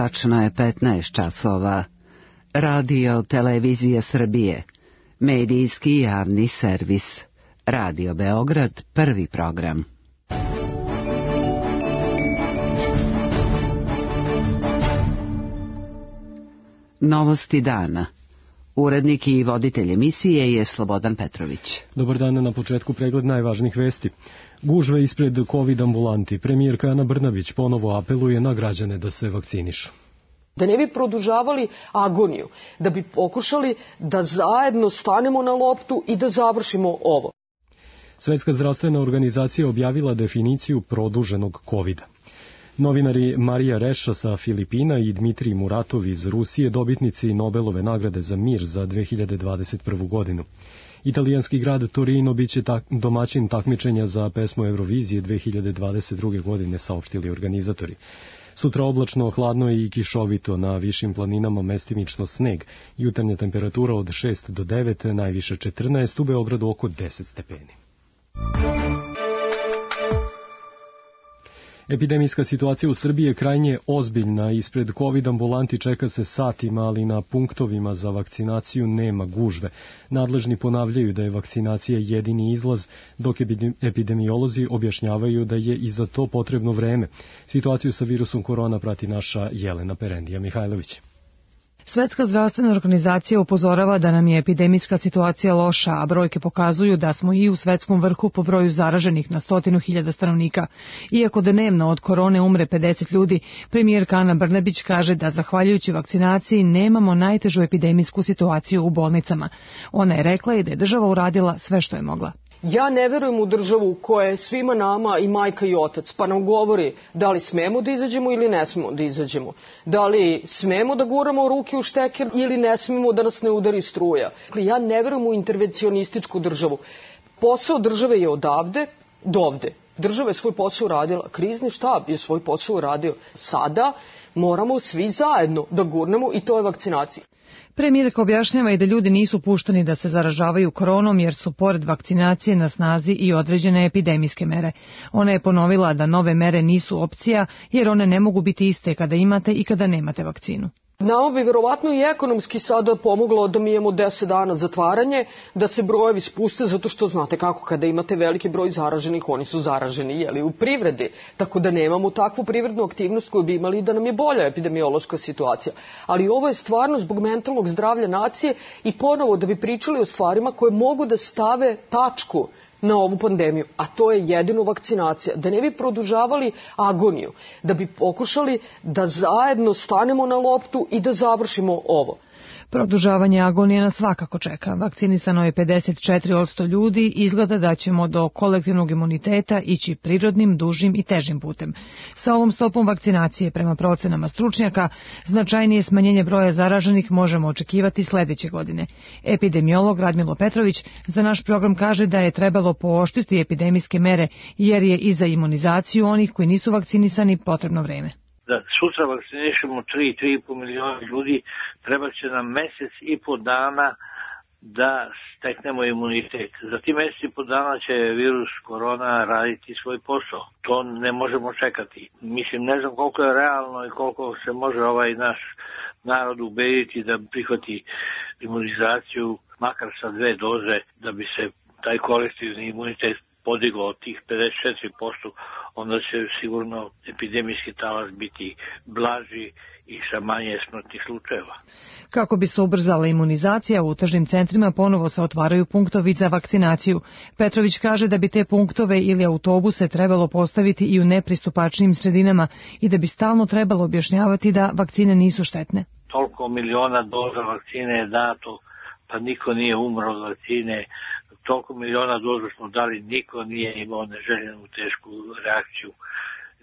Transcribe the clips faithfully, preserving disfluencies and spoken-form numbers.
Tačno je petnaest časova. Radio Televizija Srbije. Medijski javni servis. Radio Beograd, prvi program. Novosti dana. Urednik i voditelj emisije je Slobodan Petrović. Dobar dan, na početku pregled najvažnijih vesti. Gužve ispred COVID ambulanti. Premijerka Ana Brnabić ponovo apeluje na građane da se vakcinišu. Da ne bi produžavali agoniju, da bi pokušali da zajedno stanemo na loptu i da završimo ovo. Svetska zdravstvena organizacija objavila definiciju produženog kovida. Novinari Marija Reša sa Filipina i Dmitrij Muratov iz Rusije dobitnici Nobelove nagrade za mir za dve hiljade dvadeset prvu godinu. Italijanski grad Torino biće tak, domaćin takmičenja za pesmu Eurovizije dve hiljade dvadeset druge godine, saopštili organizatori. Sutra oblačno, hladno i kišovito, na višim planinama mestimično sneg, jutarnja temperatura od šest do devet, najviše četrnaest, u Beogradu oko deset stepeni. Epidemijska situacija u Srbiji je krajnje ozbiljna. Ispred COVID ambulanti čeka se satima, ali na punktovima za vakcinaciju nema gužve. Nadležni ponavljaju da je vakcinacija jedini izlaz, dok epidemiolozi objašnjavaju da je i za to potrebno vreme. Situaciju sa virusom korona prati naša Jelena Perendija Mihajlović. Svetska zdravstvena organizacija upozorava da nam je epidemijska situacija loša, a brojke pokazuju da smo i u svetskom vrhu po broju zaraženih na stotinu hiljada stanovnika. Iako dnevno od korone umre pedeset ljudi, premijerka Ana Brnabić kaže da zahvaljujući vakcinaciji nemamo najtežu epidemijsku situaciju u bolnicama. Ona je rekla i da je država uradila sve što je mogla. Ja ne verujem u državu koja je svima nama i majka i otac, pa nam govori da li smemo da izađemo ili ne smemo da izađemo. Da li smemo da guramo ruke u šteker ili ne smemo da nas ne udari struja. Ja ne verujem u intervencionističku državu. Posao države je odavde do ovde. Država je svoj posao uradila, krizni štab je svoj posao uradio. Sada moramo svi zajedno da gurnemo i to je vakcinacija. Premijerka objašnjava i da ljudi nisu pušteni da se zaražavaju koronom jer su pored vakcinacije na snazi i određene epidemijske mere. Ona je ponovila da nove mere nisu opcija jer one ne mogu biti iste kada imate i kada nemate vakcinu. Nama bi verovatno i ekonomski sada pomoglo da mi imamo deset dana zatvaranje, da se brojevi spuste, zato što znate kako, kada imate veliki broj zaraženih, oni su zaraženi jeli, u privredi, tako da nemamo takvu privrednu aktivnost koju bi imali da nam je bolja epidemiološka situacija. Ali ovo je stvarno zbog mentalnog zdravlja nacije i ponovo da bi pričali o stvarima koje mogu da stave tačku na ovu pandemiju, a to je jedino vakcinacija. Da ne bi produžavali agoniju, da bi pokušali da zajedno stanemo na loptu i da završimo ovo. Produžavanje agonije nas svakako čeka. Vakcinisano je pedeset četiri posto ljudi, izgleda da ćemo do kolektivnog imuniteta ići prirodnim, dužim i težim putem. Sa ovom stopom vakcinacije, prema procenama stručnjaka, značajnije smanjenje broja zaraženih možemo očekivati sledeće godine. Epidemiolog Radmilo Petrović za naš program kaže da je trebalo pooštriti epidemijske mere, jer je i za imunizaciju onih koji nisu vakcinisani potrebno vreme. Da sutra vakcinišemo tri do tri i po miliona ljudi, treba će nam mesec i po dana da steknemo imunitet. Za ti mesec i po dana će virus korona raditi svoj posao. To ne možemo čekati. Mislim, ne znam koliko je realno i koliko se može ovaj naš narod ubediti da prihvati imunizaciju, makar sa dve doze, da bi se taj kolektivni imunitet podiglo od tih pedeset četiri posto, onda će sigurno epidemijski talas biti blaži i sa manje smrtnih slučajeva. Kako bi se ubrzala imunizacija, u tržnim centrima ponovo se otvaraju punktovi za vakcinaciju. Petrović kaže da bi te punktove ili autobuse trebalo postaviti i u nepristupačnim sredinama i da bi stalno trebalo objašnjavati da vakcine nisu štetne. Toliko miliona doza vakcine je dato, pa niko nije umro od vakcine. Toliko miliona doza smo dali, niko nije imao neželjenu tešku reakciju,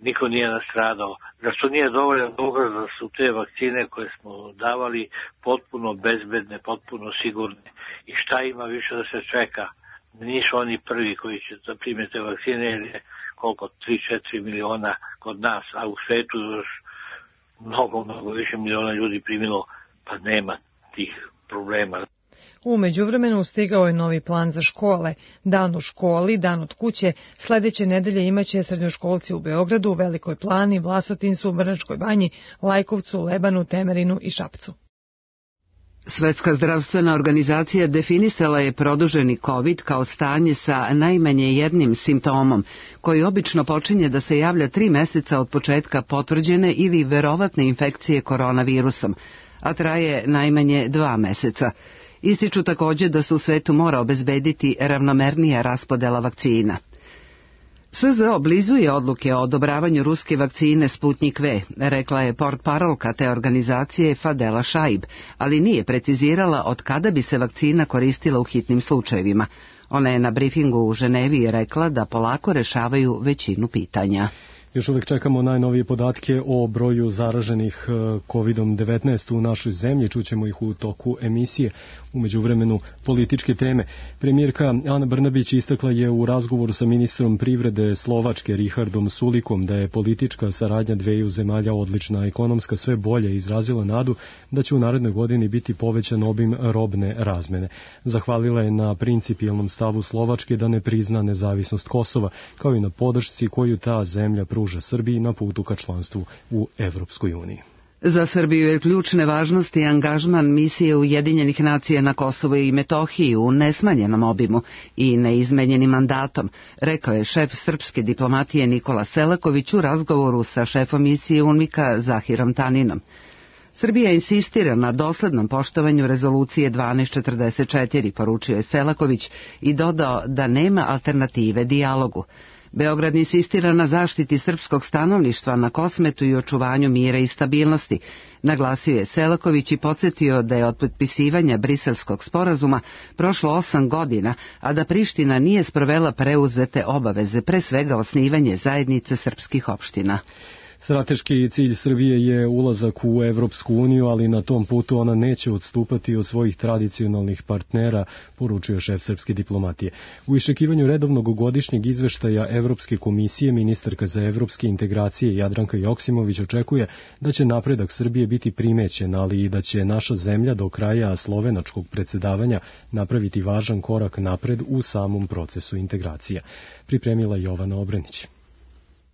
niko nije nastradao. Zašto nije dovoljan dokaz da su te vakcine koje smo davali potpuno bezbedne, potpuno sigurne i šta ima više da se čeka? Nisu oni prvi koji će da prime te vakcine, jer je koliko, tri do četiri miliona kod nas, a u svetu još mnogo, mnogo više miliona ljudi primilo, pa nema tih problema. U međuvremenu stigao je novi plan za škole. Dan u školi, dan od kuće. Sledeće nedelje imaće srednjoškolci u Beogradu, Velikoj Plani, Vlasotincu, Vrnjačkoj Banji, Lajkovcu, Lebanu, Temerinu i Šapcu. Svetska zdravstvena organizacija definisala je produženi COVID kao stanje sa najmanje jednim simptomom, koji obično počinje da se javlja tri meseca od početka potvrđene ili verovatne infekcije koronavirusom, a traje najmanje dva meseca. Ističu takođe da se u svetu mora obezbediti ravnomernija raspodela vakcina. S Z O blizuje odluke o odobravanju ruske vakcine Sputnik V, rekla je portparolka te organizacije Fadela Šaib, ali nije precizirala od kada bi se vakcina koristila u hitnim slučajevima. Ona je na brifingu u Ženevi rekla da polako rešavaju većinu pitanja. Još uvijek čekamo najnovije podatke o broju zaraženih kovid devetnaest u našoj zemlji. Čućemo ih u toku emisije. U međuvremenu političke teme. Premijerka Ana Brnabić istakla je u razgovoru sa ministrom privrede Slovačke Richardom Sulikom da je politička saradnja dveju zemalja odlična, ekonomska sve bolje, izrazila nadu da će u narednoj godini biti povećan obim robne razmene. Zahvalila je na principijelnom stavu Slovačke da ne prizna nezavisnost Kosova, kao i na podršci koju ta zemlja pruža Srbiji na putu ka članstvu u Evropskoj uniji. Za Srbiju je ključne važnosti angažman misije Ujedinjenih nacija na Kosovo i Metohiji u nesmanjenom obimu i neizmenjenim mandatom, rekao je šef srpske diplomatije Nikola Selaković u razgovoru sa šefom misije UNMIK-a Zahirom Taninom. Srbija insistira na doslednom poštovanju rezolucije dvanaest četrdeset četiri, poručio je Selaković i dodao da nema alternative dijalogu. Beograd insistira na zaštiti srpskog stanovništva na Kosmetu i očuvanju mira i stabilnosti, naglasio je Selaković i podsjetio da je od potpisivanja Briselskog sporazuma prošlo osam godina, a da Priština nije sprovela preuzete obaveze, pre svega osnivanje zajednice srpskih opština. Strateški cilj Srbije je ulazak u Evropsku uniju, ali na tom putu ona neće odstupati od svojih tradicionalnih partnera, poručio šef srpske diplomatije. U iščekivanju redovnog godišnjeg izveštaja Evropske komisije, ministarka za evropske integracije Jadranka Joksimović očekuje da će napredak Srbije biti primećen, ali i da će naša zemlja do kraja slovenačkog predsedavanja napraviti važan korak napred u samom procesu integracija. Pripremila Jovana Obrenić.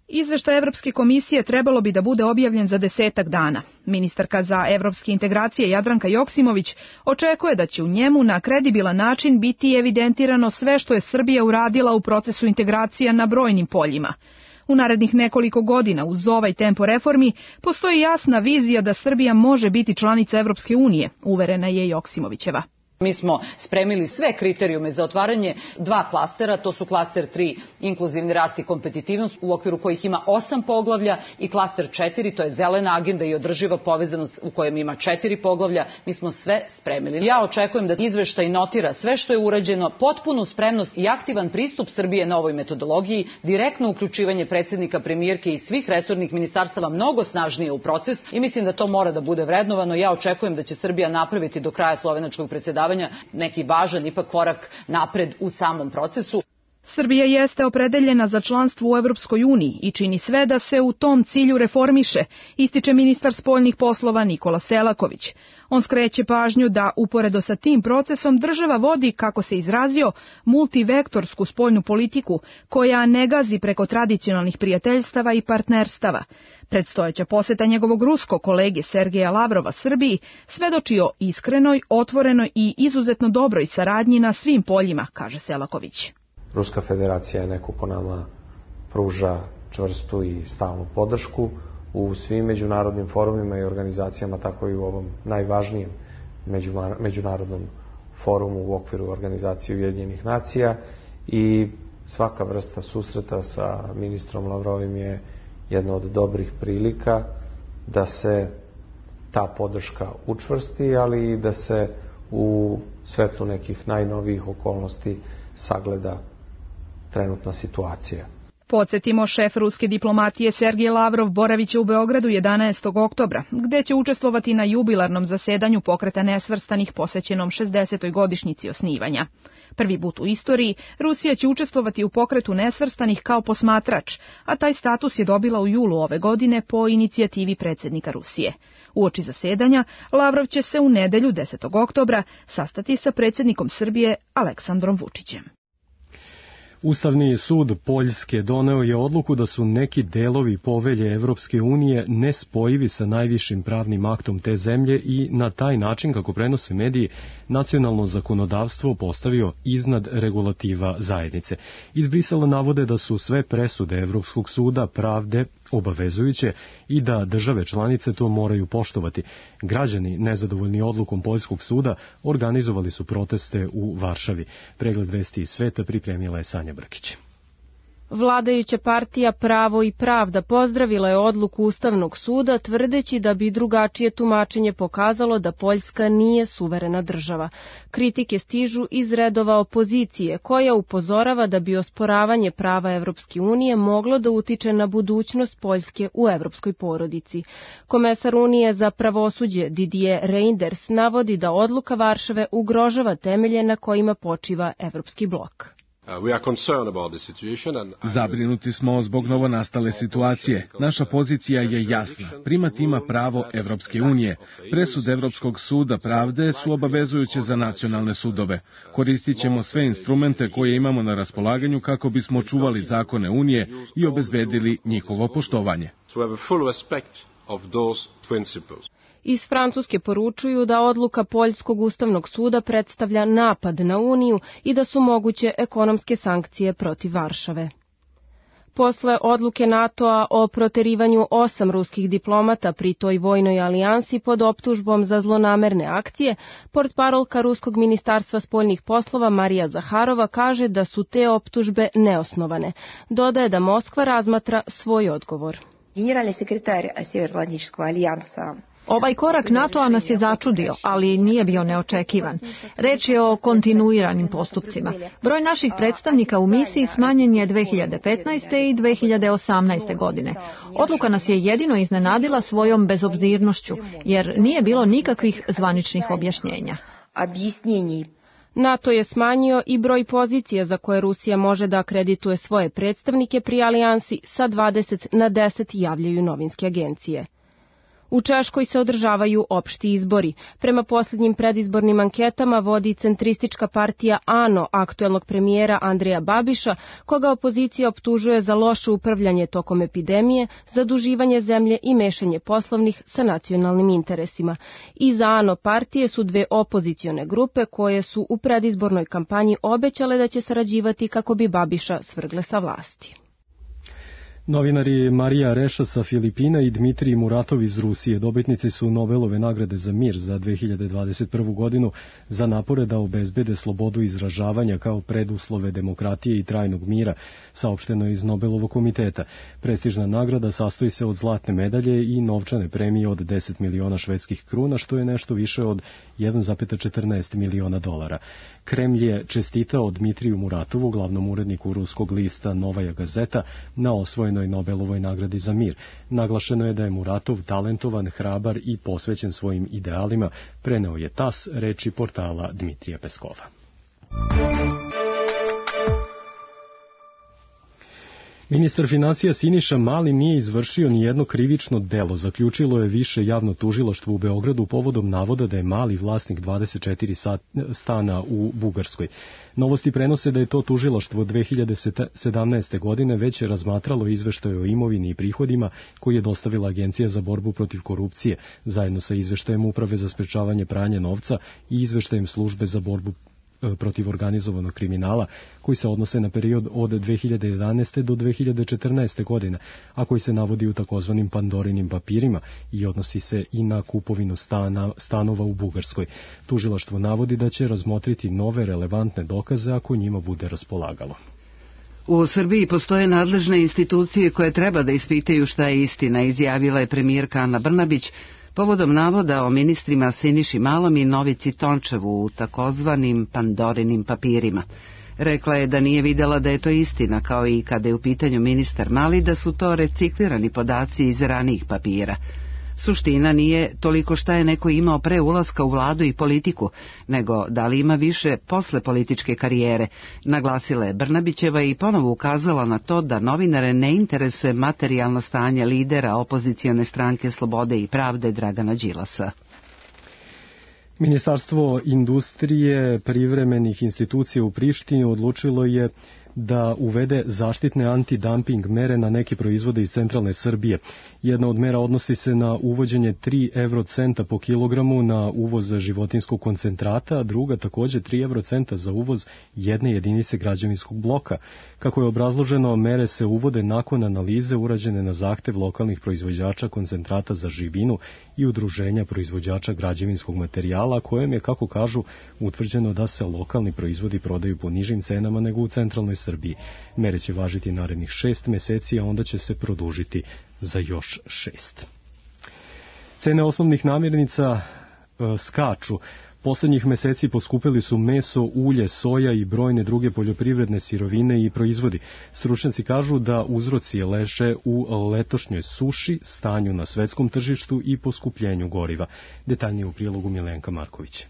Izveštaj Evropske komisije trebalo bi da bude objavljen za desetak dana. Ministarka za evropske integracije Jadranka Joksimović očekuje da će u njemu na kredibilan način biti evidentirano sve što je Srbija uradila u procesu integracija na brojnim poljima. U narednih nekoliko godina uz ovaj tempo reformi postoji jasna vizija da Srbija može biti članica Evropske unije, uverena je Joksimovićeva. Mi smo spremili sve kriterijume za otvaranje dva klastera, to su klaster tri, inkluzivni rast i kompetitivnost, u okviru kojih ima osam poglavlja, i klaster četiri, to je zelena agenda i održiva povezanost, u kojem ima četiri poglavlja. Mi smo sve spremili. Ja očekujem da izveštaj notira sve što je urađeno, potpunu spremnost i aktivan pristup Srbije na ovoj metodologiji, direktno uključivanje predsjednika, premijerke i svih resornih ministarstava mnogo snažnije u proces, i mislim da to mora da bude vrednovano. Ja očekujem da će Srbija napraviti do kraja slovenačkog predsedavanja neki važan ipak korak napred u samom procesu. Srbija jeste opredeljena za članstvo u Evropskoj uniji i čini sve da se u tom cilju reformiše, ističe ministar spoljnih poslova Nikola Selaković. On skreće pažnju da uporedo sa tim procesom država vodi, kako se izrazio, multivektorsku spoljnu politiku koja ne gazi preko tradicionalnih prijateljstava i partnerstava. Predstojeća poseta njegovog ruskog kolege Sergeja Lavrova Srbiji svedoči o iskrenoj, otvorenoj i izuzetno dobroj saradnji na svim poljima, kaže Selaković. Ruska federacija je neko ko nama pruža čvrstu i stalnu podršku u svim međunarodnim forumima i organizacijama, tako i u ovom najvažnijem međunarodnom forumu u okviru organizacije Ujedinjenih nacija, i svaka vrsta susreta sa ministrom Lavrovim je jedna od dobrih prilika da se ta podrška učvrsti, ali i da se u svetlu nekih najnovijih okolnosti sagleda trenutna situacija. Podsjetimo, šef ruske diplomatije Sergej Lavrov boraviće u Beogradu jedanaestog oktobra, gde će učestvovati na jubilarnom zasedanju Pokreta nesvrstanih posvećenom šezdesetoj godišnjici osnivanja. Prvi put u istoriji Rusija će učestvovati u Pokretu nesvrstanih kao posmatrač, a taj status je dobila u julu ove godine po inicijativi predsjednika Rusije. Uoči zasedanja Lavrov će se u nedelju desetog oktobra sastati sa predsjednikom Srbije Aleksandrom Vučićem. Ustavni sud Poljske doneo je odluku da su neki delovi povelje Evropske unije nespojivi sa najvišim pravnim aktom te zemlje i na taj način, kako prenose mediji, nacionalno zakonodavstvo postavio iznad regulativa zajednice. Iz Brisela navode da su sve presude Evropskog suda pravde obavezujuće i da države članice to moraju poštovati. Građani, nezadovoljni odlukom Poljskog suda, organizovali su proteste u Varšavi. Pregled vesti iz sveta pripremila je Sanja Brkić. Vladajuća partija Pravo i pravda pozdravila je odluku Ustavnog suda, tvrdeći da bi drugačije tumačenje pokazalo da Poljska nije suverena država. Kritike stižu iz redova opozicije, koja upozorava da bi osporavanje prava Evropske unije moglo da utiče na budućnost Poljske u evropskoj porodici. Komesar Unije za pravosuđe Didier Reynders navodi da odluka Varšave ugrožava temelje na kojima počiva evropski blok. Zabrinuti smo zbog novonastale situacije. Naša pozicija je jasna. Primat ima pravo Evropske unije. Presude Evropskog suda pravde su obavezujuće za nacionalne sudove. Koristit ćemo sve instrumente koje imamo na raspolaganju kako bismo čuvali zakone Unije i obezbedili njihovo poštovanje. Iz Francuske poručuju da odluka Poljskog ustavnog suda predstavlja napad na Uniju i da su moguće ekonomske sankcije protiv Varšave. Posle odluke NATO-a o proterivanju osam ruskih diplomata pri toj vojnoj alijansi pod optužbom za zlonamerne akcije, portparolka Ruskog ministarstva spoljnih poslova Marija Zaharova kaže da su te optužbe neosnovane. Dodaje da Moskva razmatra svoj odgovor. Generalni sekretar Sjevernoatlantičkog alijansa Ovaj korak NATO-a nas je začudio, ali nije bio neočekivan. Reč je o kontinuiranim postupcima. Broj naših predstavnika u misiji smanjen je dve hiljade petnaeste. i dve hiljade osamnaeste. godine. Odluka nas je jedino iznenadila svojom bezobzirnošću, jer nije bilo nikakvih zvaničnih objašnjenja. NATO je smanjio i broj pozicija za koje Rusija može da akredituje svoje predstavnike pri alijansi sa dvadeset na deset, javljaju novinske agencije. U Češkoj se održavaju opšti izbori. Prema posljednjim predizbornim anketama vodi centristička partija ANO aktuelnog premijera Andreja Babiša, koga opozicija optužuje za loše upravljanje tokom epidemije, zaduživanje zemlje i mešanje poslovnih sa nacionalnim interesima. Iza ANO partije su dve opozicione grupe koje su u predizbornoj kampanji obećale da će sarađivati kako bi Babiša svrgle sa vlasti. Novinari Marija Reša sa Filipina i Dmitrij Muratov iz Rusije dobitnici su Nobelove nagrade za mir za dve hiljade dvadeset prvu. godinu za napore da obezbede slobodu izražavanja kao preduslove demokratije i trajnog mira, saopšteno iz Nobelovog komiteta. Prestižna nagrada sastoji se od zlatne medalje i novčane premije od deset miliona švedskih kruna, što je nešto više od jedan zarez četrnaest miliona dolara. Kremlj je čestitao Dmitriju Muratovu, glavnom uredniku ruskog lista Novaja Gazeta, na osvojenoj Nobelovoj nagradi za mir. Naglašeno je da je Muratov talentovan, hrabar i posvećen svojim idealima, preneo je tas reči portala Dmitrija Peskova. Ministar financija Siniša Mali nije izvršio ni jedno krivično delo, zaključilo je više javno tužilaštvo u Beogradu povodom navoda da je Mali vlasnik dvadeset četiri stana u Bugarskoj. Novosti prenose da je to tužilaštvo dve hiljade sedamnaeste. godine već razmatralo izveštaje o imovini i prihodima koji je dostavila Agencija za borbu protiv korupcije, zajedno sa izveštajem Uprave za sprečavanje pranja novca i izveštajem Službe za borbu protiv organizovanog kriminala, koji se odnose na period od dve hiljade jedanaeste. do dve hiljade četrnaeste. godine, a koji se navodi u takozvanim Pandorinim papirima i odnosi se i na kupovinu stana, stanova u Bugarskoj. Tužilaštvo navodi da će razmotriti nove relevantne dokaze ako njima bude raspolagalo. U Srbiji postoje nadležne institucije koje treba da ispitaju šta je istina, izjavila je premijerka Ana Brnabić povodom navoda o ministrima Siniši Malom i Novici Tončevu u takozvanim Pandorinim papirima. Rekla je da nije videla da je to istina, kao i kada je u pitanju ministar Mali, da su to reciklirani podaci iz ranijih papira. Suština nije toliko šta je neko imao pre ulaska u vladu i politiku, nego da li ima više posle političke karijere, naglasila je Brnabićeva i ponovo ukazala na to da novinare ne interesuje materijalno stanje lidera opozicione stranke Slobode i pravde Dragana Đilasa. Ministarstvo industrije privremenih institucija u Prištini odlučilo je da uvede zaštitne antidumping mere na neke proizvode iz centralne Srbije. Jedna od mera odnosi se na uvođenje tri eurocenta po kilogramu na uvoz životinskog koncentrata, a druga takođe tri eurocenta za uvoz jedne jedinice građevinskog bloka. Kako je obrazloženo, mere se uvode nakon analize urađene na zahtev lokalnih proizvođača koncentrata za živinu i udruženja proizvođača građevinskog materijala, kojem je, kako kažu, utvrđeno da se lokalni proizvodi prodaju po nižim cenama nego u centralnoj Srbiji. Mere će važiti narednih šest meseci, a onda će se produžiti za još šest. Cene osnovnih namirnica e, skaču. Poslednjih meseci poskupili su meso, ulje, soja i brojne druge poljoprivredne sirovine i proizvodi. Stručnjaci kažu da uzroci leže u letošnjoj suši, stanju na svetskom tržištu i poskupljenju goriva. Detaljnije u prilogu Milenka Marković.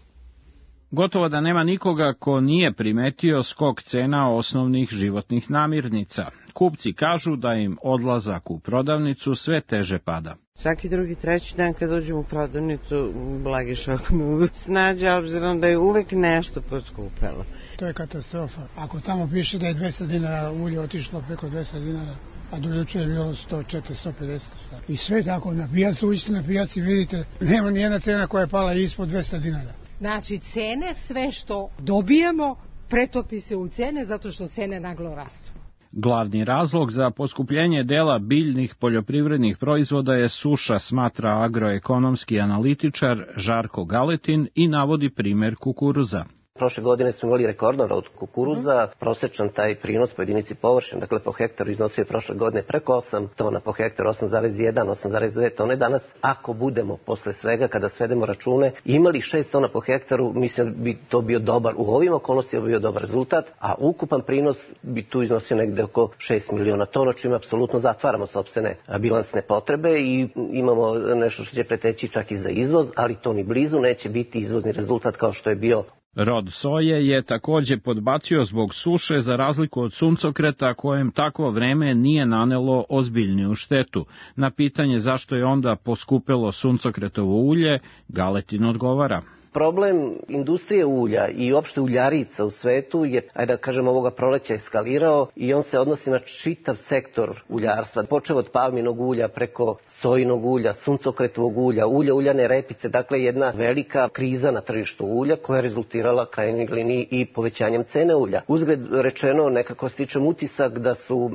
Gotovo da nema nikoga ko nije primetio skok cena osnovnih životnih namirnica. Kupci kažu da im odlazak u prodavnicu sve teže pada. Svaki drugi, treći dan kad uđem u prodavnicu, blagi šok me uvijek snađe, obzirom da je uvek nešto poskupelo. To je katastrofa. Ako tamo piše da je dvesta dinara ulje otišlo preko dvesta dinara, a do juče je bilo sto četrdeset, sto pedeset. I sve tako, na pijacu, uđite na pijaci, vidite, nema nijedna cena koja je pala ispod dvesta dinara. Znači, cene, sve što dobijemo, pretopi se u cene zato što cene naglo rastu. Glavni razlog za poskupljenje dela biljnih poljoprivrednih proizvoda je suša, smatra agroekonomski analitičar Žarko Galetin i navodi primer kukuruza. Prošle godine smo imali rekordno od kukuruza, prosečan taj prinos po jedinici površine, dakle po hektaru iznosio je prošle godine preko osam tona po hektaru, osam zarez jedan, osam zarez dve tone. Danas, ako budemo posle svega, kada svedemo račune, imali šest tona po hektaru, mislim da bi to bio dobar, u ovim okolnostima bio dobar rezultat, a ukupan prinos bi tu iznosio negde oko šest miliona tona, čime apsolutno zatvaramo sopstvene bilansne potrebe i imamo nešto što će preteći čak i za izvoz, ali to ni blizu neće biti izvozni rezultat kao što je bio. Rod soje je takođe podbacio zbog suše za razliku od suncokreta kojem takvo vreme nije nanelo ozbiljniju štetu. Na pitanje zašto je onda poskupelo suncokretovo ulje, Galetin odgovara. Problem industrije ulja i uopšte uljarica u svetu je, ajde da kažem, ovoga proleća eskalirao i on se odnosi na čitav sektor uljarstva. Počeo od palminog ulja preko sojinog ulja, suncokretovog ulja, ulja, uljane repice, dakle jedna velika kriza na tržištu ulja koja je rezultirala krajnjoj liniji i povećanjem cene ulja. Uzgred rečeno, nekako stičem utisak da su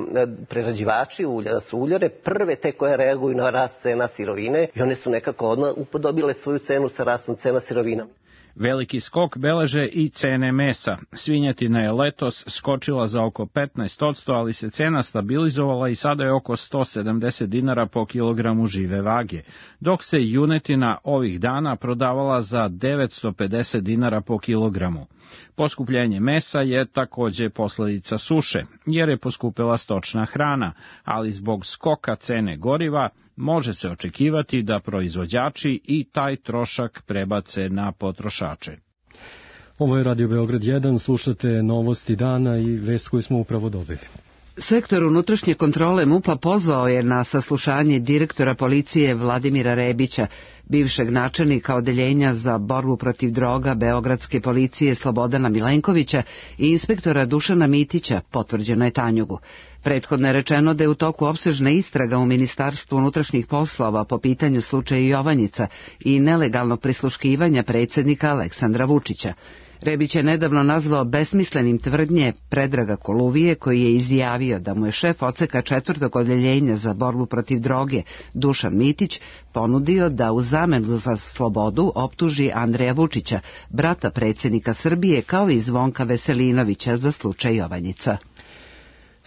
prerađivači ulja, da su uljare prve te koje reaguju na rast cena sirovine i one su nekako odmah upodobile svoju cenu sa rastom cena sirovina. Veliki skok beleže i cene mesa. Svinjetina je letos skočila za oko petnaest posto, ali se cena stabilizovala i sada je oko sto sedamdeset dinara po kilogramu žive vage, dok se junetina ovih dana prodavala za devetsto pedeset dinara po kilogramu. Poskupljenje mesa je takođe posledica suše, jer je poskupela stočna hrana, ali zbog skoka cene goriva može se očekivati da proizvođači i taj trošak prebace na potrošače. Ovo je Radio Beograd jedan, slušate novosti dana i vest koju smo upravo dobili. Sektor unutrašnje kontrole MUP-a pozvao je na saslušanje direktora policije Vladimira Rebića, bivšeg načelnika odeljenja za borbu protiv droga Beogradske policije Slobodana Milenkovića i inspektora Dušana Mitića, potvrđeno je Tanjugu. Prethodno je rečeno da je u toku opsežna istraga u Ministarstvu unutrašnjih poslova po pitanju slučaja Jovanjica i nelegalnog prisluškivanja predsjednika Aleksandra Vučića. Rebić je nedavno nazvao besmislenim tvrdnje Predraga Koluvije, koji je izjavio da mu je šef odseka četvrtog odeljenja za borbu protiv droge Dušan Mitić ponudio da u zamenu za slobodu optuži Andreja Vučića, brata predsjednika Srbije, kao i Zvonka Veselinovića za slučaj Jovanjica.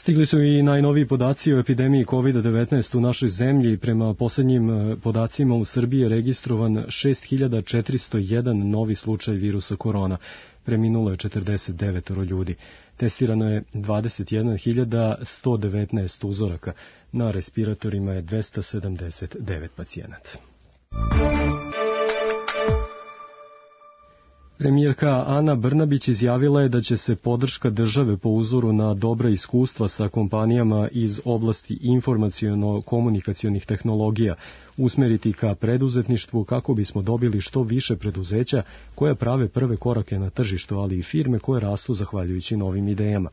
Stigli su i najnoviji podaci o epidemiji kovid devetnaest u našoj zemlji. Prema poslednjim podacima u Srbiji je registrovan šest hiljada četiristo jedan novi slučaj virusa korona. Preminulo je četrdeset devet ljudi. Testirano je dvadeset jedna hiljada sto devetnaest uzoraka. Na respiratorima je dvesta sedamdeset devet pacijenata. Premijerka Ana Brnabić izjavila je da će se podrška države po uzoru na dobra iskustva sa kompanijama iz oblasti informaciono-komunikacionih tehnologija usmeriti ka preduzetništvu kako bismo dobili što više preduzeća koja prave prve korake na tržištu, ali i firme koje rastu zahvaljujući novim idejama.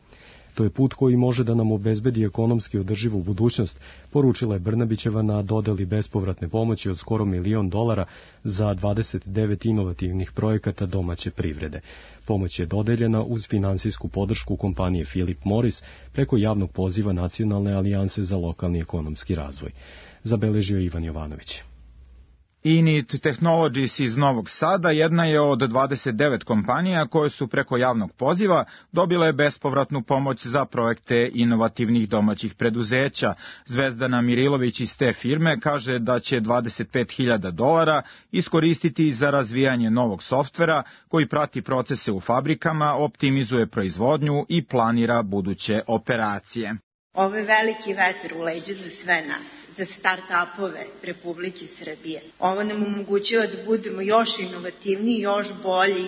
To je put koji može da nam obezbedi ekonomski održivu budućnost, poručila je Brnabićeva na dodeli bespovratne pomoći od skoro milion dolara za dvadeset devet inovativnih projekata domaće privrede. Pomoć je dodeljena uz finansijsku podršku kompanije Philip Morris preko javnog poziva Nacionalne alijanse za lokalni ekonomski razvoj. Zabeležio Ivan Jovanović. Init Technologies iz Novog Sada jedna je od dvadeset devet kompanija koje su preko javnog poziva dobile bespovratnu pomoć za projekte inovativnih domaćih preduzeća. Zvezdana Mirilović iz te firme kaže da će dvadeset pet hiljada dolara iskoristiti za razvijanje novog softvera koji prati procese u fabrikama, optimizuje proizvodnju i planira buduće operacije. Ovo je veliki vetar u leđa za sve nas, za start-upove Republike Srbije. Ovo nam omogućava da budemo još inovativniji, još bolji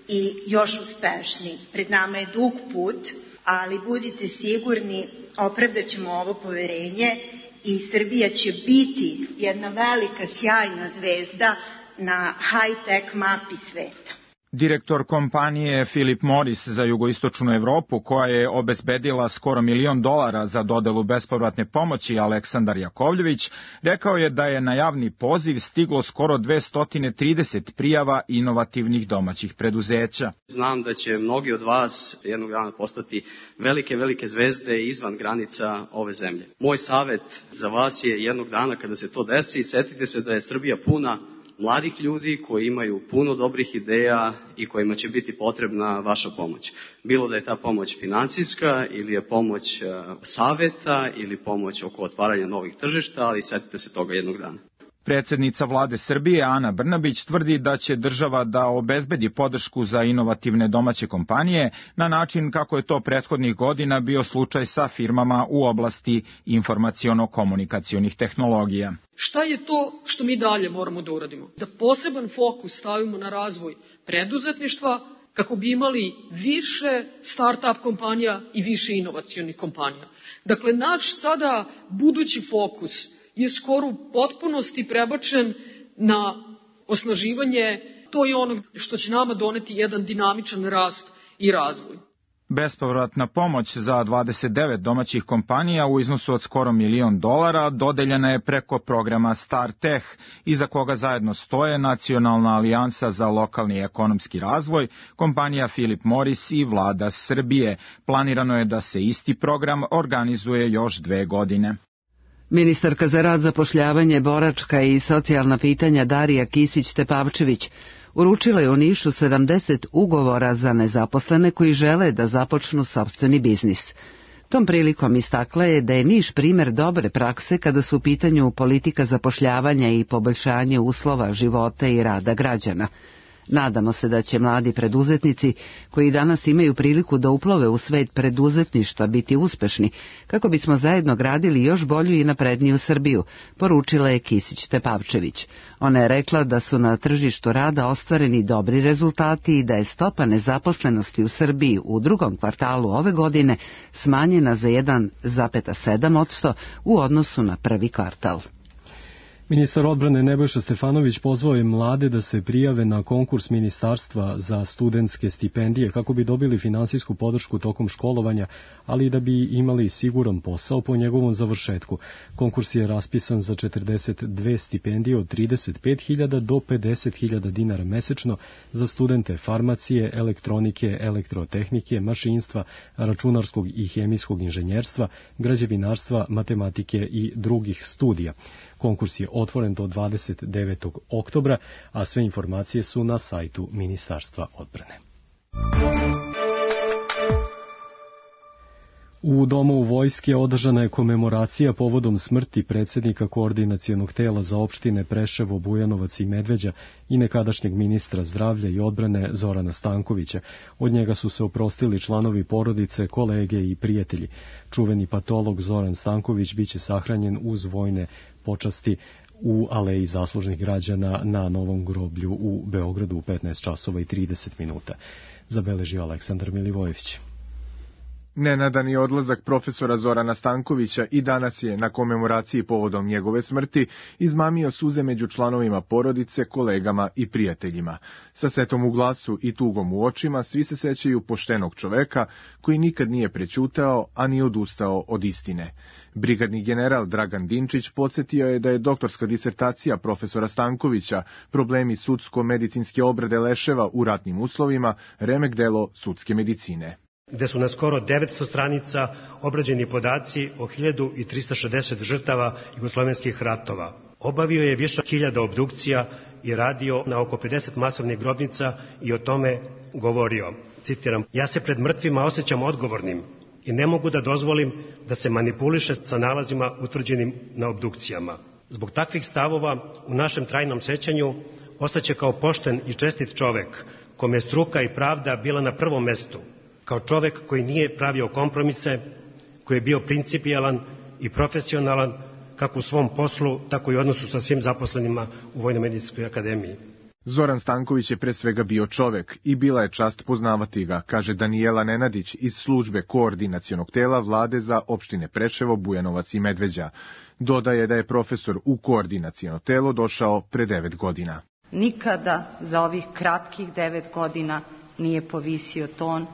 i još uspešniji. Pred nama je dug put, ali budite sigurni, opravdat ćemo ovo poverenje i Srbija će biti jedna velika, sjajna zvezda na high-tech mapi sveta. Direktor kompanije Philip Morris za jugoistočnu Evropu, koja je obezbedila skoro milion dolara za dodelu bespovratne pomoći, Aleksandar Jakovljević, rekao je da je na javni poziv stiglo skoro dvesta trideset prijava inovativnih domaćih preduzeća. Znam da će mnogi od vas jednog dana postati velike, velike zvezde izvan granica ove zemlje. Moj savet za vas je jednog dana kada se to desi, setite se da je Srbija puna mladih ljudi koji imaju puno dobrih ideja i kojima će biti potrebna vaša pomoć. Bilo da je ta pomoć finansijska ili je pomoć saveta ili pomoć oko otvaranja novih tržišta, ali setite se toga jednog dana. Predsednica vlade Srbije Ana Brnabić tvrdi da će država da obezbedi podršku za inovativne domaće kompanije na način kako je to prethodnih godina bio slučaj sa firmama u oblasti informaciono-komunikacionih tehnologija. Šta je to što mi dalje moramo da uradimo? Da poseban fokus stavimo na razvoj preduzetništva kako bi imali više start-up kompanija i više inovacionih kompanija. Dakle, naš sada budući fokus je skoro u potpunosti prebačen na osnaživanje, to je ono što će nama doneti jedan dinamičan rast i razvoj. Bespovratna pomoć za dvadeset devet domaćih kompanija u iznosu od skoro milion dolara dodeljena je preko programa StarTech, iza koga zajedno stoje Nacionalna alijansa za lokalni ekonomski razvoj, kompanija Philip Morris i vlada Srbije. Planirano je da se isti program organizuje još dve godine. Ministarka za rad, zapošljavanje, boračka i socijalna pitanja Darija Kisić-Tepavčević uručila je u Nišu sedamdeset ugovora za nezaposlene koji žele da započnu sopstveni biznis. Tom prilikom istakla je da je Niš primer dobre prakse kada su u pitanju politika zapošljavanja i poboljšanje uslova života i rada građana. Nadamo se da će mladi preduzetnici koji danas imaju priliku da uplove u svet preduzetništva biti uspešni, kako bismo zajedno gradili još bolju i napredniju Srbiju, poručila je Kisić-Tepavčević. Ona je rekla da su na tržištu rada ostvareni dobri rezultati i da je stopa nezaposlenosti u Srbiji u drugom kvartalu ove godine smanjena za jedan zarez sedam posto u odnosu na prvi kvartal. Ministar odbrane Nebojša Stefanović pozvao je mlade da se prijave na konkurs ministarstva za studentske stipendije kako bi dobili finansijsku podršku tokom školovanja, ali i da bi imali siguran posao po njegovom završetku. Konkurs je raspisan za četrdeset dve stipendije od trideset pet hiljada do pedeset hiljada dinara mesečno za studente farmacije, elektronike, elektrotehnike, mašinstva, računarskog i hemijskog inženjerstva, građevinarstva, matematike i drugih studija. Konkurs je otvoren do dvadeset devetog oktobra, a sve informacije su na sajtu Ministarstva odbrane. U domu vojske održana je komemoracija povodom smrti predsjednika koordinacionog tela za opštine Preševo, Bujanovac i Medveđa i nekadašnjeg ministra zdravlja i odbrane Zorana Stankovića. Od njega su se oprostili članovi porodice, kolege i prijatelji. Čuveni patolog Zoran Stanković biće sahranjen uz vojne počasti u Aleji zaslužnih građana na Novom groblju u Beogradu u petnaest časova i trideset minuta. Zabeležio Aleksandar Milivojević. Nenadan je odlazak profesora Zorana Stankovića i danas je na komemoraciji povodom njegove smrti izmamio suze među članovima porodice, kolegama i prijateljima. Sa setom u glasu i tugom u očima svi se sećaju poštenog čoveka koji nikad nije prećutao, a ni odustao od istine. Brigadni general Dragan Dinčić podsjetio je da je doktorska disertacija profesora Stankovića Problemi sudsko-medicinske obrade leševa u ratnim uslovima remek delo sudske medicine, gde su na skoro devetsto stranica obrađeni podaci o hiljadu trista šezdeset žrtava jugoslovenskih ratova. Obavio je više hiljada obdukcija i radio na oko pedeset masovnih grobnica i o tome govorio. Citiram: ja se pred mrtvima osjećam odgovornim i ne mogu da dozvolim da se manipuliše sa nalazima utvrđenim na obdukcijama. Zbog takvih stavova u našem trajnom sećanju ostaće kao pošten i čestit čovek, kome je struka i pravda bila na prvom mestu, kao čovek koji nije pravio kompromise, koji je bio principijelan i profesionalan kako u svom poslu, tako i u odnosu sa svim zaposlenima u Vojno-medicinskoj akademiji. Zoran Stanković je pre svega bio čovek i bila je čast poznavati ga, kaže Danijela Nenadić iz službe koordinacionog tela vlade za opštine Preševo, Bujanovac i Medveđa. Dodaje da je profesor u koordinaciono telo došao pre devet godina. Nikada za ovih kratkih devet godina nije povisio ton,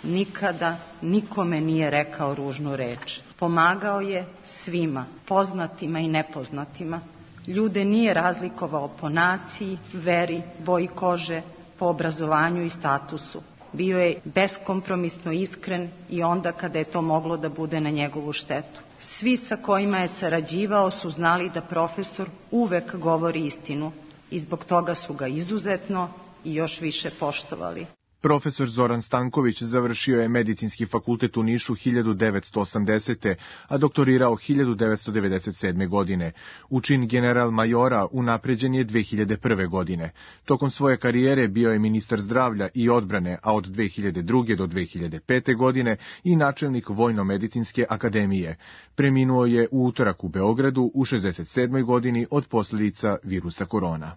nikada nikome nije rekao ružnu reč. Pomagao je svima, poznatima i nepoznatima. Ljude nije razlikovao po naciji, veri, boji kože, po obrazovanju i statusu. Bio je beskompromisno iskren i onda kada je to moglo da bude na njegovu štetu. Svi sa kojima je sarađivao su znali da profesor uvek govori istinu i zbog toga su ga izuzetno i još više poštovali. Profesor Zoran Stanković završio je medicinski fakultet u Nišu hiljadu devetsto osamdesete. a doktorirao hiljadu devetsto devedeset sedme. godine. U čin general majora unapređen je dve hiljade prve. godine. Tokom svoje karijere bio je ministar zdravlja i odbrane, a od dve hiljade druge. do dve hiljade pete. godine i načelnik Vojno-medicinske akademije. Preminuo je u utorak u Beogradu u šezdeset sedmoj. godini od posljedica virusa korona.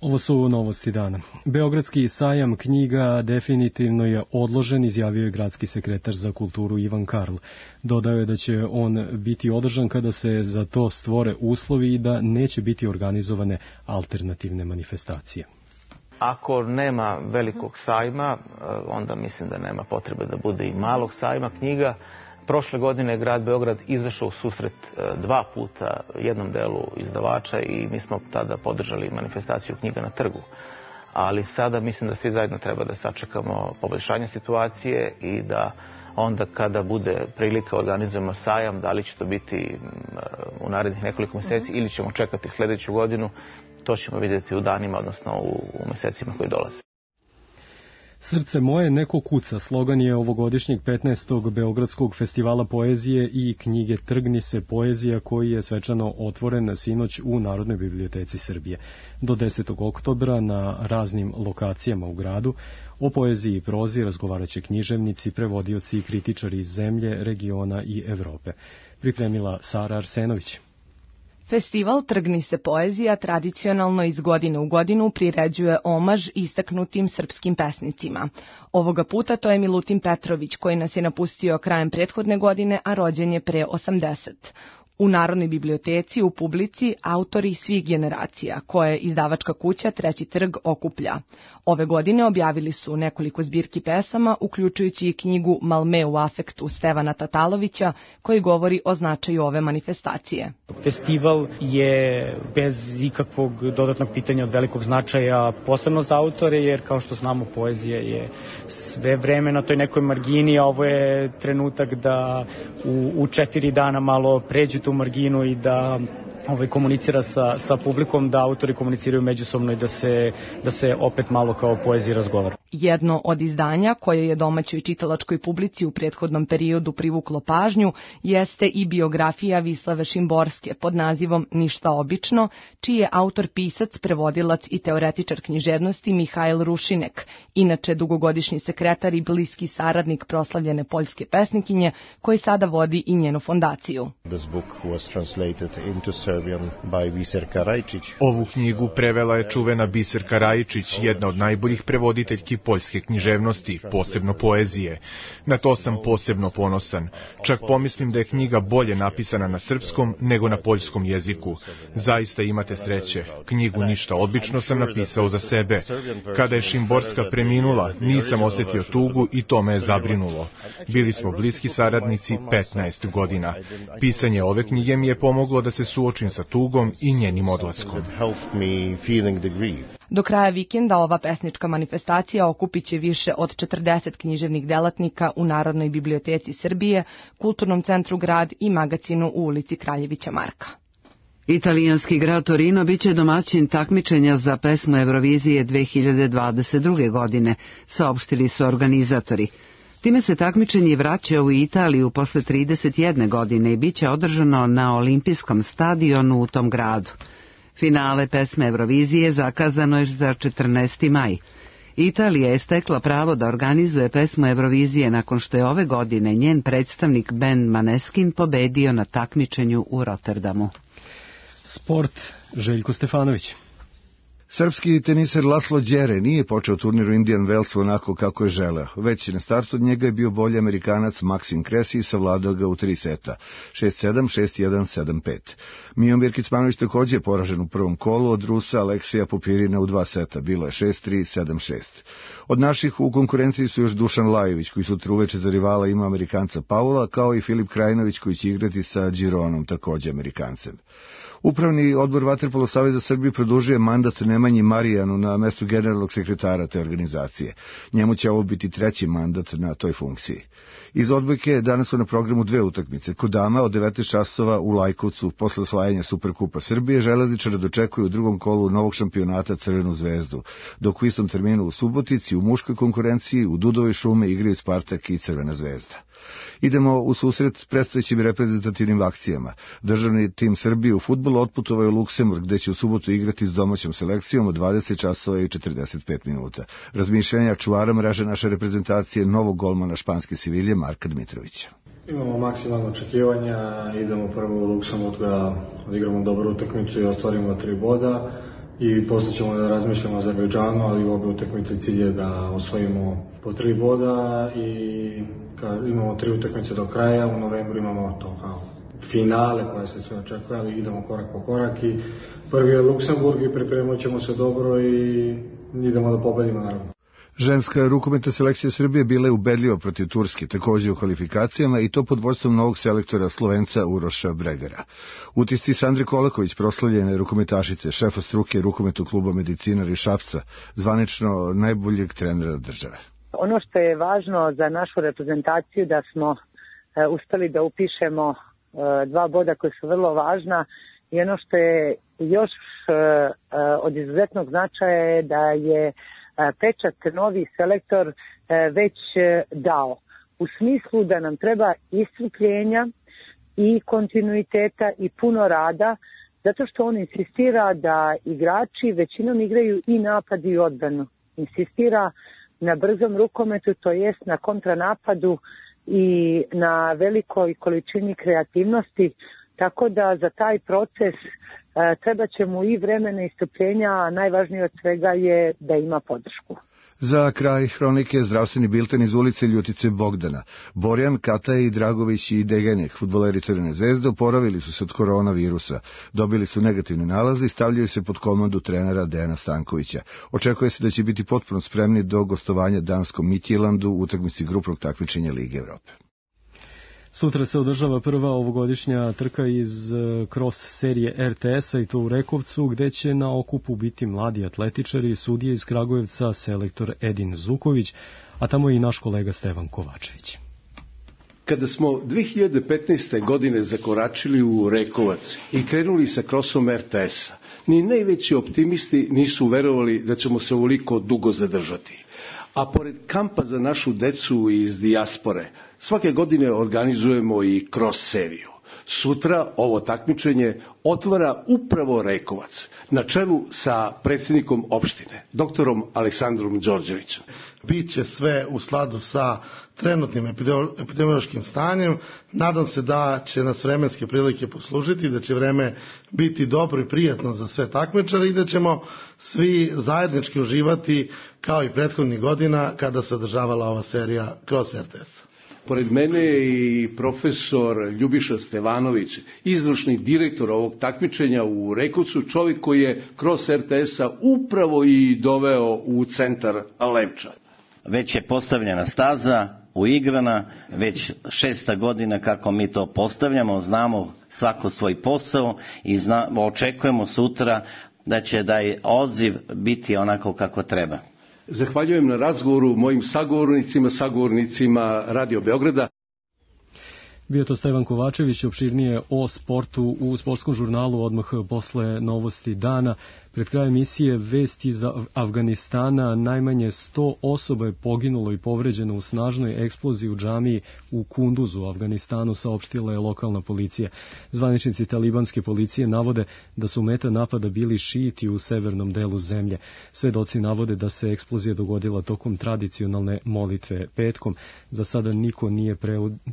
Ovo su novosti dana. Beogradski sajam knjiga definitivno je odložen, izjavio je gradski sekretar za kulturu Ivan Karl. Dodao je da će on biti održan kada se za to stvore uslovi i da neće biti organizovane alternativne manifestacije. Ako nema velikog sajma, onda mislim da nema potrebe da bude i malog sajma knjiga. Prošle godine je grad Beograd izašao u susret dva puta jednom delu izdavača i mi smo tada podržali manifestaciju knjiga na trgu. Ali sada mislim da svi zajedno treba da sačekamo poboljšanje situacije i da onda kada bude prilika organizujemo sajam, da li će to biti u narednih nekoliko mjeseci ili ćemo čekati sljedeću godinu, to ćemo vidjeti u danima, odnosno u mjesecima koji dolaze. Srce moje neko kuca, slogan je ovogodišnjeg petnaestog Beogradskog festivala poezije i knjige Trgni se poezija, koji je svečano otvoren sinoć u Narodnoj biblioteci Srbije. Do desetog oktobra na raznim lokacijama u gradu o poeziji i prozi razgovaraće književnici, prevodioci i kritičari iz zemlje, regiona i Evrope. Pripremila Sara Arsenović. Festival Trgni se poezija tradicionalno iz godine u godinu priređuje omaž istaknutim srpskim pesnicima. Ovoga puta to je Milutin Petrović, koji nas je napustio krajem prethodne godine, a rođen je pre osamdeset. U Narodnoj biblioteci u publici autori svih generacija, koje izdavačka kuća Treći trg okuplja. Ove godine objavili su nekoliko zbirki pesama, uključujući i knjigu Malme u afektu Stevana Tatalovića, koji govori o značaju ove manifestacije. Festival je bez ikakvog dodatnog pitanja od velikog značaja, posebno za autore, jer kao što znamo poezija je sve vreme na toj nekoj margini, a ovo je trenutak da u, u četiri dana malo pređu tu marginu i da ovaj, komunicira sa, sa publikom, da autori komuniciraju međusobno i da se, da se opet malo kao poeziji razgovara. Jedno od izdanja koje je domaćoj čitalačkoj publici u prethodnom periodu privuklo pažnju jeste i biografija Vislave Šimborske pod nazivom Ništa obično, čiji je autor pisac, prevodilac i teoretičar književnosti Mihajl Rušinek, inače dugogodišnji sekretar i bliski saradnik proslavljene poljske pesnikinje, koji sada vodi i njenu fondaciju. Ovu knjigu prevela je čuvena Biserka Rajičić, jedna od najboljih prevoditeljki poljske književnosti, posebno poezije. Na to sam posebno ponosan. Čak pomislim da je knjiga bolje napisana na srpskom nego na poljskom jeziku. Zaista imate sreće. Knjigu Ništa obično sam napisao za sebe. Kada je Šimborska preminula, nisam osetio tugu i to me je zabrinulo. Bili smo bliski saradnici petnaest godina. Pisanje ove knjige mi je pomoglo da se suočim sa tugom i njenim odlaskom. Do kraja vikenda ova pesnička manifestacija okupit će više od četrdeset književnih delatnika u Narodnoj biblioteci Srbije, Kulturnom centru Grad i magacinu u ulici Kraljevića Marka. Italijanski grad Torino biće domaćin takmičenja za pesmu Eurovizije dve hiljade dvadeset druge. godine, saopštili su organizatori. Time se takmičenje vraća u Italiju posle trideset jedne godine i biće održano na olimpijskom stadionu u tom gradu. Finale pesme Eurovizije zakazano je za četrnaesti maj. Italija je stekla pravo da organizuje pesmu Eurovizije nakon što je ove godine njen predstavnik Ben Maneskin pobedio na takmičenju u Rotterdamu. Sport, Željko Stefanović. Srpski teniser Laslo Đere nije počeo turnir u Indian Wellsu onako kako je želeo. Već na startu od njega je bio bolji Amerikanac Maksim Kresi i savladao ga u tri seta. šest sedam, šest jedan, sedam pet. Mijomir Kecmanović također je poražen u prvom kolu od Rusa Aleksija Popirina u dva seta. Bilo je šest tri, sedam šest. Od naših u konkurenciji su još Dušan Lajović, koji sutra uveče za rivala ima Amerikanca Paula, kao i Filip Krajinović, koji će igrati sa Gironom, također Amerikancem. Upravni odbor Vaterpolo Saveza Srbije produžuje mandat Nemanji Marijanu na mestu generalnog sekretara te organizacije. Njemu će ovo biti treći mandat na toj funkciji. Iz odbojke danas su na programu dve utakmice. Kod dama od devetnaest časova u Lajkovcu posle osvajanja Superkupa Srbije železničara dočekuju u drugom kolu novog šampionata Crvenu zvezdu, dok u istom terminu u Subotici u muškoj konkurenciji u Dudovoj šume igraju Spartak i Crvena zvezda. Idemo u susret predstojećim reprezentativnim akcijama. Državni tim Srbije u fudbalu otputovao je u Luksemburg, gde će u subotu igrati s domaćom selekcijom od dvadeset časova i četrdeset pet minuta. Razmišljanja čuvara mreže naše reprezentacije novog golmana španske Sevilje Marka Dmitrovića. Imamo maksimalno očekivanja, idemo prvo u Luksemburg da odigramo dobru utakmicu i ostvarimo tri boda i posle ćemo da razmišljamo o Azerbejdžanu, ali u obe utakmice cilj je da osvojimo po tri boda i imamo tri utakmice do kraja, u novembru imamo to kao finale koje se sve očekuje, ali idemo korak po korak i prvi je Luksemburg i pripremit ćemo se dobro i idemo da pobedimo naravno. Ženska rukometna selekcija Srbije bila je ubedljiva protiv Turske, također u kvalifikacijama i to pod vođstvom novog selektora Slovenca Uroša Bregara. Utisci Sandre Kolaković, proslavljene rukometašice, šefa struke rukometnog kluba Medicina iz Šapca, zvanično najboljeg trenera države. Ono što je važno za našu reprezentaciju da smo e, uspeli da upišemo e, dva boda koje su vrlo važna i ono što je još e, od izuzetnog značaja je da je e, pečat novi selektor e, već e, dao. U smislu da nam treba iscrpljenja i kontinuiteta i puno rada, zato što on insistira da igrači većinom igraju i napad i odbranu. Insistira na brzom rukometu, to jest na kontranapadu i na velikoj količini kreativnosti, tako da za taj proces e, treba će mu i vremena i strpljenja, a najvažnije od svega je da ima podršku. Za kraj hronike zdravstveni bilten iz ulice Ljutice Bogdana. Borjan, Kataj, Dragović i Degenek, fudbaleri Crvene zvezde, oporavili su se od koronavirusa. Dobili su negativne nalaze i stavljaju se pod komandu trenera Dejana Stankovića. Očekuje se da će biti potpuno spremni do gostovanja danskom Midtjyllandu u utakmici grupnog takmičenja Lige Evrope. Sutra se održava prva ovogodišnja trka iz cross serije er te es-a i to u Rekovcu, gde će na okupu biti mladi atletičari, sudije iz Kragujevca, selektor Edin Zuković, a tamo i naš kolega Stevan Kovačević. Kada smo dve hiljade petnaeste. godine zakoračili u Rekovac i krenuli sa krosom er te es-a, ni najveći optimisti nisu verovali da ćemo se ovoliko dugo zadržati. A pored kampa za našu decu iz dijaspore, svake godine organizujemo i cross seriju. Sutra ovo takmičenje otvara upravo Rekovac, na čelu sa predsjednikom opštine, doktorom Aleksandrom Đorđevićem. Biće sve u skladu sa trenutnim epidemiološkim stanjem. Nadam se da će nas vremenske prilike poslužiti, da će vreme biti dobro i prijatno za sve takmičare i da ćemo svi zajednički uživati kao i prethodnih godina kada se održavala ova serija kroz R T S. Pored mene je i profesor Ljubiša Stevanović, izvršni direktor ovog takmičenja u Rekovcu, čovjek koji je kroz R T S-a upravo i doveo u centar Levča. Već je postavljena staza, uigrana, već šesta godina kako mi to postavljamo, znamo svako svoj posao i zna, očekujemo sutra da će taj odziv biti onako kako treba. Zahvaljujem na razgovoru mojim sagovornicima, sagovornicima Radio Beograda. Bio to Stevan Kovačević, opširnije o sportu u sportskom žurnalu odmah posle novosti dana. Pred kraj emisije vesti iz Afganistana, najmanje sto osoba je poginulo i povređeno u snažnoj eksploziji u džamiji u Kunduzu u Afganistanu, saopštila je lokalna policija. Zvaničnici talibanske policije navode da su meta napada bili šijiti u severnom delu zemlje. Svedoci navode da se eksplozija dogodila tokom tradicionalne molitve petkom. Za sada niko nije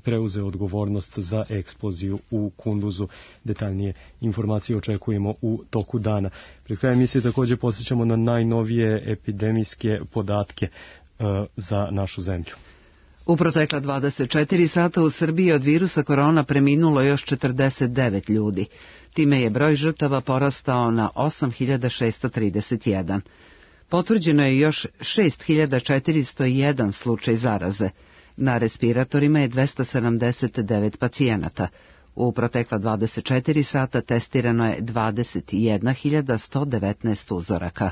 preuzeo odgovornost za eksploziju u Kunduzu. Detaljnije informacije očekujemo u toku dana. Pred krajem emisije također posjećamo na najnovije epidemijske podatke uh, za našu zemlju. U protekla dvadeset četiri sata u Srbiji od virusa korona preminulo još četrdeset devet ljudi. Time je broj žrtava porastao na osam hiljada šessto trideset jedan. Potvrđeno je još šest hiljada četiristo jedan slučaj zaraze. Na respiratorima je dvesta sedamdeset devet pacijenata. U protekla dvadeset četiri sata testirano je dvadeset jedna hiljada sto devetnaest uzoraka.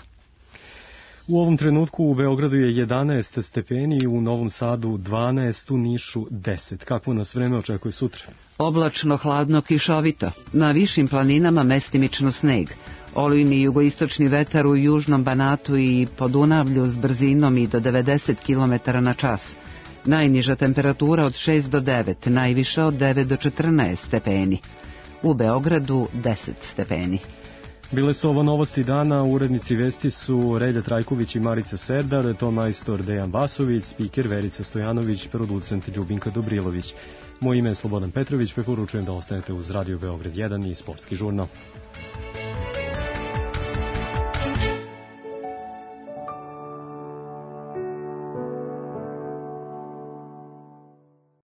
U ovom trenutku u Beogradu je jedanaest stepeni, u Novom Sadu dvanaest, u Nišu deset. Kakvo nas vreme očekuje sutra? Oblačno, hladno, kišovito. Na višim planinama mestimično sneg. Olujni jugoistočni vetar u južnom Banatu i Podunavlju s brzinom i do devedeset kilometara na čas. Najniža temperatura od šest do devet, najviša od devet do četrnaest stepeni. U Beogradu deset stepeni. Bile su ovo novosti dana, urednici vesti su Relja Trajković i Marica Serdar, to majstor Dejan Vasović, spiker Verica Stojanović, producent Ljubinka Dobrilović. Moje ime je Slobodan Petrović, preporučujem da ostanete uz Radio Beograd jedan i Sportski žurnal.